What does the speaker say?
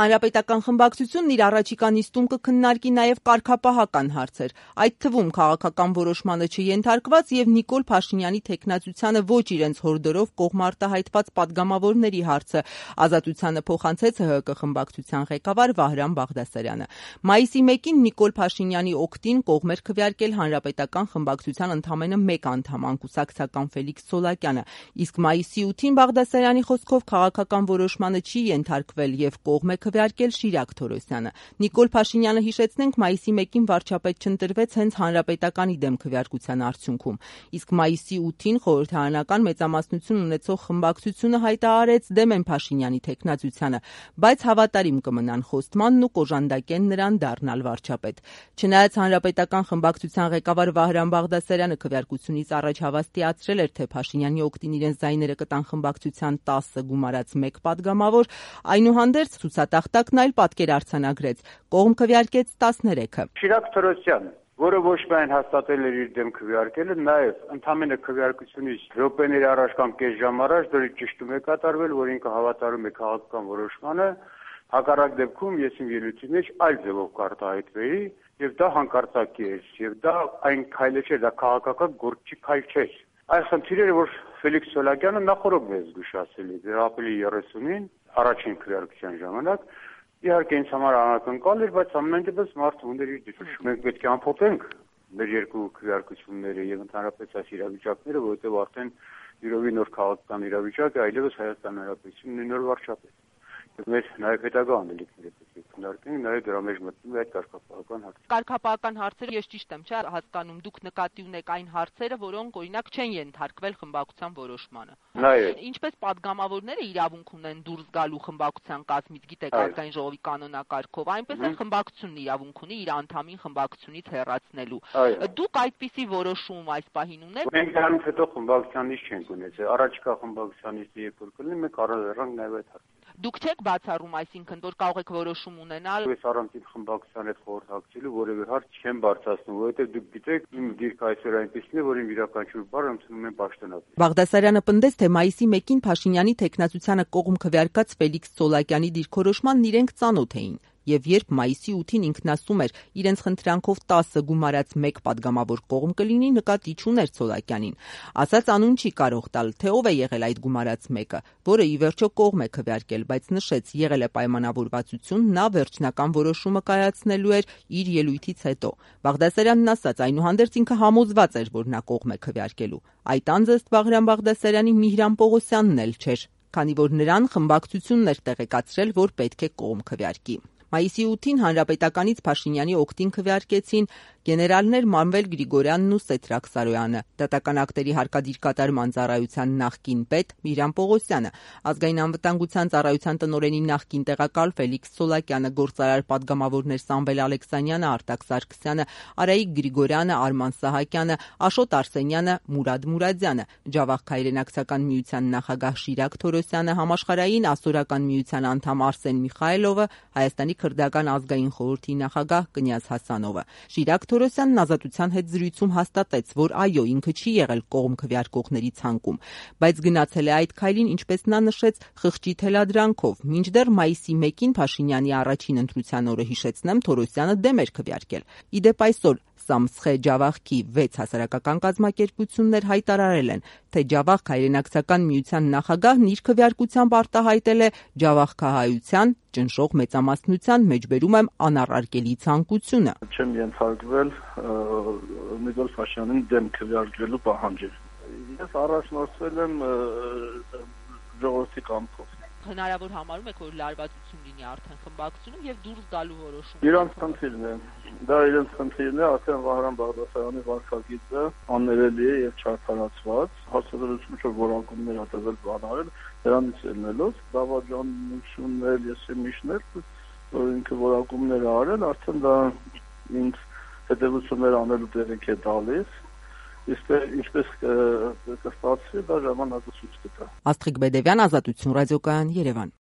Հանրապետական խմբակցությունն իր առաջիկա նիստում կքննարկի նաև կարգապահական հարցեր, այդ թվում քաղաքական որոշմանը չենթարկված եւ Նիկոլ Փաշինյանի թեկնածությանը ոչ իրենց հորդորով կողմարտահայտված պատգամավորների հարցը, Ազատությանը փոխանցեց ՀՀԿ խմբակցության ղեկավար Վահրամ Բաղդասարյանը։ Մայիսի 1-ին Նիկոլ Փաշինյանի օգտին կողմ էր քվեարկել Հանրապետական խմբակցության ընդամենը մեկ անդամ անկուսակցական Ֆելիքս Սոլակյանը, իսկ մայիսի 8-ին Բաղդասարյանի խոսքով քաղաքական որոշմանը չի ենթարկվել եւ կողմ է քվեարկել Շիրակ Թորոսյանը։ Նիկոլ Փաշինյանը, հիշեցնենք, մայիսի 1-ին վարչապետ չընտրվեց հենց Հանրապետականի դեմ քվեարկության արդյունքում, իսկ մայիսի 8-ին խորհրդարանական մեծամասնություն ունեցող խմբակցությունը հայտարարեց դեմ են Փաշինյանի թեկնածությանը, բայց հավատարիմ կմնան խոստմանն ու կոժանդակեն նրան դառնալ վարչապետ։ Չնայած Հանրապետական խմբակցության ղեկավար Վահրամ Բաղդասարյանը քվեարկությունից առաջ հավաստիացրել էր, թե Փաշինյանի օգտին իրենց ձայները կտան խմբակցության 10 գումարած 1 պատգամավոր, այնուհանդերձ ցուցատախտակն այլ պատկեր արձանագրեց, կողմ քվեարկեց 13-ը։ Շիրակ Թորոսյան, որը ոչ միայն հաստատել էր իր դեմ քվեարկելը, նաև ընդամենը քվեարկությունից րոպեների առաջ կամ կես ժամ առաջ դրի ճշտում է կատարվել, որ ինքը հավատարում է քաղաքական որոշմանը, հակառակ դեպքում ես իմ ելույթի մեջ այլ ձևով կարտահայտվեի, եւ դա հանկարծակի էր, եւ դա այն քայլը չէր, դա քաղաքական գործի քայլ չէր։ Այս խնդիրը, որ Ֆելիքս Սոլակյանը նախորդ մեզ զգուշացել է, ապրիլի 30-ին առաջին քվեարկության ժամանակ, իհարկե ինձ համար անակնկալ էր, բայց ամեն դեպս մարդը ուներ իր դիրքը։ Մենք պետք է ամփոփենք մեր երկու քվեարկությունները եւ ընդհանրապես այս իրավիճակները, որովհետեւ արդեն յուրովի նոր քաղաքական իրավիճակ է, այլևս Հայաստան Հանրապետությունն ունի նոր վարչապետ։ Մեր նաև հետագա անելիքները պետք է քննարկենք, նաև դրա մեջ մտնում է այդ կարգապահական հարցը։ Կարգապահական հարցերը, ես ճիշտ եմ, չէ՞, հասկանում, դուք նկատի ունեք այն հարցերը, որոնք օրինակ չեն ենթարկվել խմբակցության որոշմանը։ Ինչպես պատգամավորները իրավունք ունեն դուրս գալու խմբակցության կազմից, գիտեք, ազգային ժողովի կանոնակարգով, այնպես էլ խմբակցությունն իրավունք ունի իր անդամին խմբակցությունից հեռացնելու։ Դուք այդպիսի որոշում այս պահին ունեք։ Մենք դրանից հետո խմբակցությանից չենք ունեցել։ Առաջիկա խմբակցությանից երբ որ կլինի, մենք առանձնանանք նաև այդ հարցը։ Դուք չեք բացառում, այսինքն, որ կարող եք որոշում ունենալ։ Ես առանցին խմբակցության հետ խորհրդակցելու որևէ հարց չեմ բարձրացնում, որովհետև դուք գիտեք, իմ դիրքը այսօր այնպեսին է, որ իմ յուրաքանչյուր բառ ընդունում եմ պաշտոնապես։ Բաղդասարյանը պնդեց, թե մայիսի 1-ին Փաշինյանի թեկնածությանը կողմ քվեարկած Ֆելիքս Սոլակյանի դիրքորոշմանն իրենք ծանոթ էին։ Եվ երբ մայիսի 8-ին ինքն ասում էր, իրենց խնդրանքով 10 գումարած 1 պատգամավոր կողմ կլինի, նկատի չուներ Սոլակյանին։ Ասաց անուն չի կարող տալ, թե ով է եղել այդ գումարած 1-ը, որը ի վերջո կողմ է քվեարկել, բայց նշեց, եղել է պայմանավորվածություն, նա վերջնական որոշումը կայացնելու էր իր ելույթից հետո։ Բաղդասարյանն ասաց, այնուհանդերձ ինքը համոզված էր, որ նա կողմ է քվեարկելու։ Այդ անձը ըստ Վահրամ Բաղդասարյանի Միհրան Պողոսյանն էլ չէր, քանի որ նրան խմբակցությունն էր տեղեկացրել, որ պետք է կողմ քվեարկի։ Մայիսի 8-ին Հանրապետականից Փաշինյանի օգտին քվեարկեցին գեներալներ Մանվել Գրիգորյանն ու Սեդրակ Սարոյանը, դատական ակտերի հարկադիր կատարման ծառայության նախկին պետ Միհրան Պողոսյանը, ազգային անվտանգության ծառայության տնօրենի նախկին տեղակալ Ֆելիքս Սոլակյանը, գործարար պատգամավորներ Սամվել Ալեքսանյանը, Արտակ Սարգսյանը, Արայիկ Գրիգորյանը, Արման Սահակյանը, Աշոտ Արսենյանը, Մուրադ Մուրադյանը, Ջավախք հայրենակցական միության նախագահ Շիրակ Թորոսյանը, Համաշխարհային ասորական միության անդամ Արսեն Միխայելովը, Հայաստանի քրդական ազգային խորհրդի նախագահ Կնյազ Հասանովը։ Շիրակ Թորոսյանն Ազատության հետ զրույցում հաստատեց, որ այո, ինքը չի եղել կողմ քվեարկողների ցանկում, բայց գնացել է այդ քայլին, ինչպես նա նշեց, խղճի թելադրանքով, մինչդեռ մայիսի 1-ին Փաշինյանի առաջին ընտրության օրը, հիշեցնեմ, Թորոսյանը դեմ էր քվեարկել։ Իդեպ այսօր Սամսխե Ջավախքի 6 հասարակական կազմակերպություններ հայտարարել են, թե Ջավախք հայրենակցական միության նախագահն իր քվեարկությամբ արտահայտել է ջավախքահայության ճնշող մեծամասնության, մեջբերում եմ, անառարկելի ցանկությունը։ Չեմ ենթարկվել Նիկոլ Փաշինյանին դեմ քվեարկելու պահանջին։ Ես առաջնորդվել եմ ժողովրդի կամքով։ Հնարավոր համարում եք, որ լարվածություն լինի արդեն խմբակցությունում եւ դուրս գալու որոշում։ Իրանց խնդիրն է։ Դա իրենց խնդիրն է, արդեն Վահրամ Բաղդասարյանի վարքագիծը աններելի է եւ չարդարացված։ Հարցազրույցում որ որակումներ ա տվել բանարել, դրանից ելնելով դավաճանություններ, եսեմիշներ, որ ինքը որակումներ ա արել, արդեն դա ինձ հետևություններ անելու դերք է տալիս։ Իսկ ինչպես կստացվի, դա ժամանակը ցույց կտա։ Աստղիկ Բեդևյան, Ազատություն ռադիոկայան, Երևան։